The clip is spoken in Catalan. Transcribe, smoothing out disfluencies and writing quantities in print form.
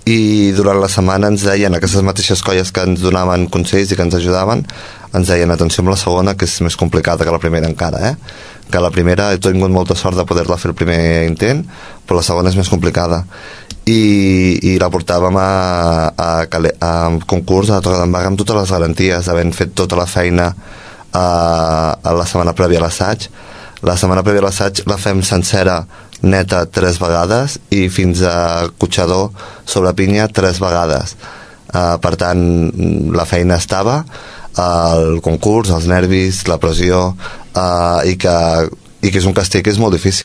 i durant la setmana ens deien, aquestes mateixes colles que ens donaven consells i que ens ajudaven, ens deien, atenció amb la segona, que és més complicada que la primera encara, que la primera he tingut molta sort de poder-la fer el primer intent, però la segona és més complicada. I la portàvem a concurs a Torredembarra amb totes les garanties, havent fet tota la feina a la setmana prèvia a l'assaig. La setmana prèvia a l'assaig la fem sencera, neta, 3 vegades, i fins a cotxador sobre pinya 3 vegades. Per tant, la feina estava, el concurs, els nervis, la pressió, i que és un castell que és molt difícil.